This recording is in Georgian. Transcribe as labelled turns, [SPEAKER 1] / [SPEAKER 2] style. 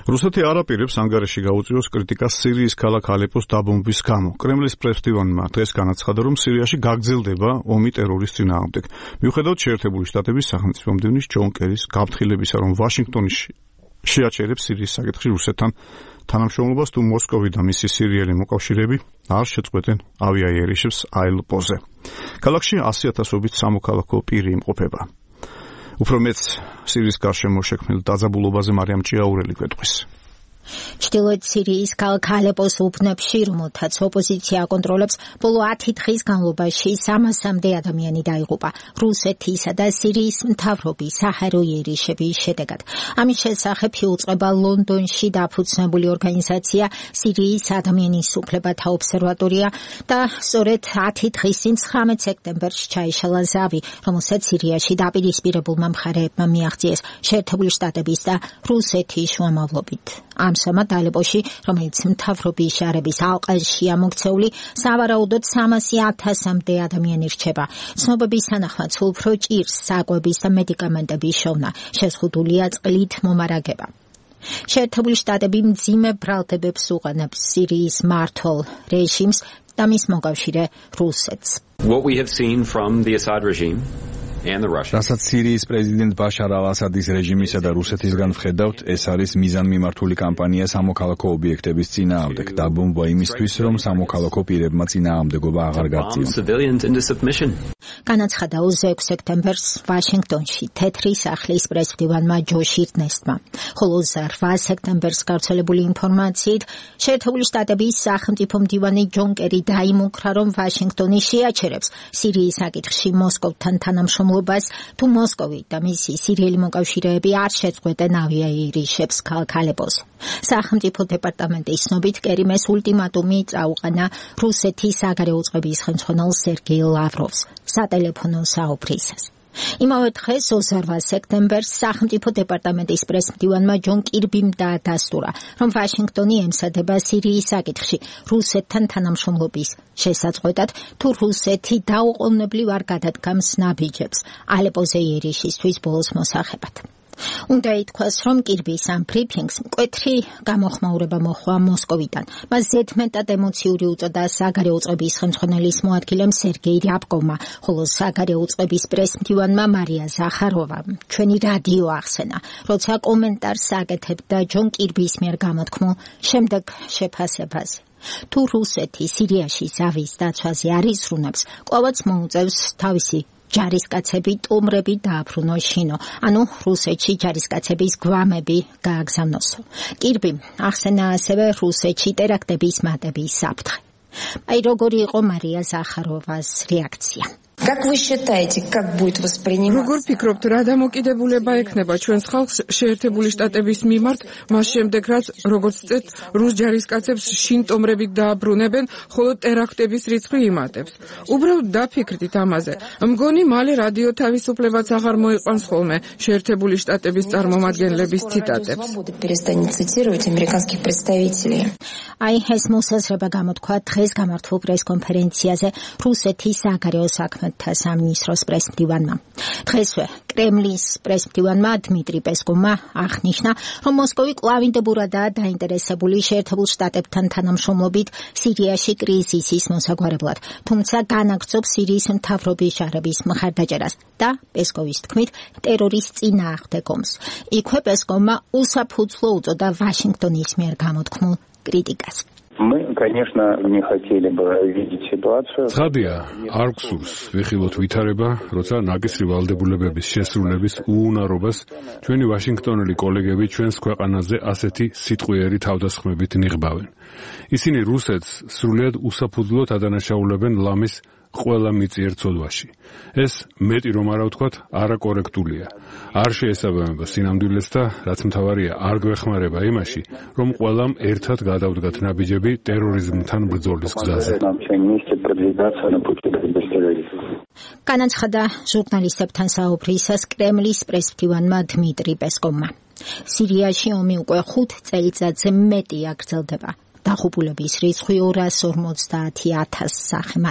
[SPEAKER 1] რუსეთი არ აპირებს ანგარიში გაუწიოს კრიტიკას სირიის ქალაქ ალეპოს დაბომბვის გამო. კრემლის პრესდივანმა დღეს განაცხადა, რომ სირიაში გაგრძელდება ომი ტერორის წინააღმდეგ. მიუხედავად შეერთებული შტატების სახელმწიფო მდივნის ჯონ კერის გაფრთხილებისა, რომ ვაშინგტონი შეაჩერებს სირიის საკითხში რუსეთთან თანამშრომლობას, თუ მოსკოვი და მისი სირიელი მოკავშირეები არ შეწყვეტენ ავიაიერიშებს ალეპოზე. ქალაქში 100,000-ობით სამოქალაქო პირი იმყოფება. უფრო მეც სირიის გარშემო შექმნილ დაძაბულობაზე მარიამ ჭიაურელი გვეტყვის.
[SPEAKER 2] ჩრდილოეთ სირიის ქალაქ ალეპოს უბნებში, რომელთაც ოპოზიცია აკონტროლებს, ბოლო 10 დღის განმავლობაში 300-მდე ადამიანი დაიღუპა რუსეთისა და სირიის მთავრობის საჰაერო იერიშების შედეგად. ამის შესახებ იუწყება ლონდონში დაფუძნებული ორგანიზაცია სირიის ადამიანის უფლებათა ობსერვატორია და სწორედ 10 დღის წინ 19 სექტემბერში ჩაიშალა ზავი, რომელსაც სირიაში დაპირისპირებულმა მხარეებმა მიაღწიეს შეერთებული შტატების და რუსეთის შუამავლობით. ამჟამად ალეპოში, რომელიც მთავრობის შარების ალყაშია მოქცეული, სავარაუდოდ 300,000-მდე ადამიანი რჩება. ცნობების თანახმად სულ უფრო ჭირს საკვების და მედიკამენტების შოვნა, შეზღუდულია წყლით მომარაგება. შეერთებული შტატები მძიმე ბრალდებებს უყენებს სირიის მმართველ რეჟიმს და მის მოკავშირე რუსეთს.
[SPEAKER 3] What we have seen from the Assad regime
[SPEAKER 4] რასაც სირიის პრეზიდენტ ბაშარ ალ-ასადის რეჟიმისა და რუსეთისგან ვხედავთ, ეს არის მიზანმიმართული კამპანია სამოქალაქო ობიექტების წინააღმდეგ, დაბომბვა იმისთვის, რომ სამოქალაქო პირებმა წინააღმდეგობა აღარ გაწიონ.
[SPEAKER 2] განაცხადა 26 სექტემბერს ვაშინგტონში თეთრი სახლის პრესდივანმა ჯო შირდნესტმა, ხოლო 8 სექტემბერს გავრცელებული ინფორმაციით შეერთებული შტატების სახელმწიფო მდივანი ჯონ კერი დაიმუქრა, რომ ვაშინგტონი შეაჩერებს სირიის საკითხში მოსკოვთან თანამშრომლობას, თუ მოსკოვი და მისი სირიელი მოკავშირეები არ შეწყვეტენ ავიაიერიშებს ქალაქ ალეპოზე. სახელმწიფო დეპარტამენტის ცნობით კერიმ ეს ულტიმატუმი წაუყენა რუსეთის საგარეო წყების ხელმძღვანელ სერგეი ლავროვს სატელეფონო საუბრისას. იმავე დღეს 28 სექტემბერს სახელმწიფო დეპარტამენტის პრესმდივანმა ჯონ კირბიმ დაადასტურა, რომ ვაშინგტონი ემსადება სირიის საკითხში რუსეთთან თანამშრომლობის შესაწყვეტად, თუ რუსეთი დაუყოვნებლივ არ გადადგამს ნაბიჯებს ალეპოზე იერიშისთვის ბოლოს მოსახებად. უნდა ითქვას, რომ კირბის ამ ბრიფინგს მკვეთრი გამოხმაურება მოჰყვა მოსკოვიდან. მას ზედმეტად ემოციური უწოდა საგარეო წყების ხელმძღვანელის მოადგილემ სერგეი რიაბკოვმა, ხოლო საგარეო წყების პრესმდივანმა მარია ზახაროვამ ჩვენი რადიო ახსენა, როცა კომენტარს აკეთებდა ჯონ კირბის მიერ გამოთქმულ შემდეგ შეფასებაზე. თუ რუსეთი სირიაში ზავის დაცვაზე არ იზრუნებს, კვლავაც მოუწევს თავისი ჯარისკაცები ტომრები დააბრუნოს შინო, ანუ რუსეთში ჯარისკაცების გვამები გააგზავნოსო. კირბი ახსენა ასევე რუსეთში ტერაქტების მატების საფრთხე. აი როგორი იყო მარია ზახაროვას რეაქცია.
[SPEAKER 5] როგორ ფიქრობთ, რა დამოკიდებულება ექნება ჩვენს ხალხს შეერთებული შტატების მიმართ, მას შემდეგ რაც როგორც წეთ რუს ჯარისკაცებს შინ ტომრებით დააბრუნებენ, ხოლო ტერაქტების რიცხვი იმატებს. უბრალოდ დაფიქრდით ამაზე. მგონი მალე რადიო თავისუფლებაც აღარ მოიყვანს ხოლმე შეერთებული შტატების წარმომადგენლების ციტატებს.
[SPEAKER 2] აი ეს მოსაზრება გამოთქვა დღეს გამართულ პრესკონფერენციაზე რუსეთის საგარეო საქმეთა სამინისტროს პრესმდივანმა. დღესვე კრემლის პრესმდივანმა დმიტრი პესკოვმა აღნიშნა, რომ მოსკოვი კვლავინდებურადაა დაინტერესებული შეერთებულ შტატებთან თანამშრომლობით სირიაში კრიზისის მოსაგვარებლად, თუმცა განაგრძობს სირიის მთავრობის შარების მხარდაჭერას და პესკოვის თქმით ტერორის წინააღმდეგ ომს. იქვე პესკოვმა უსაფუძვლო უწოდა ვაშინგტონის მიერ გამოთქმულ კრიტიკას.
[SPEAKER 6] Мы, конечно, не хотели бы видеть ситуацию.
[SPEAKER 7] ცხადია, არ გვსურს ვიხილოთ ვითარება, როცა ნაკისრი ვალდებულებების შესრულების უუნარობას ჩვენი ვაშინგტონელი კოლეგები ჩვენს ქვეყანაზე ასეთი სიტყვიერი თავდასხმებით ნიღბავენ. ისინი რუსეთს სრულიად უსაფუძვლოდ ადანაშაულებენ ლამის ყველა მიწიერ ცოდვაში. ეს მეტი რომ არა ვთქვათ, არაკორექტულია. არ შეესაბამება სინამდვილეს და რაც მთავარია, არ გვეხმარება იმაში, რომ ყველამ ერთად გადავდგათ ნაბიჯები ტერორიზმთან ბრძოლის გზაზე.
[SPEAKER 2] განაცხადა ჟურნალისტებთან საუბრისას კრემლის პრესმდივანმა დმიტრი პესკოვმა. სირიაში ომი უკვე 5 წელიწადზე მეტია გრძელდება. დაღუპულების რიცხვი 250,000 სახე.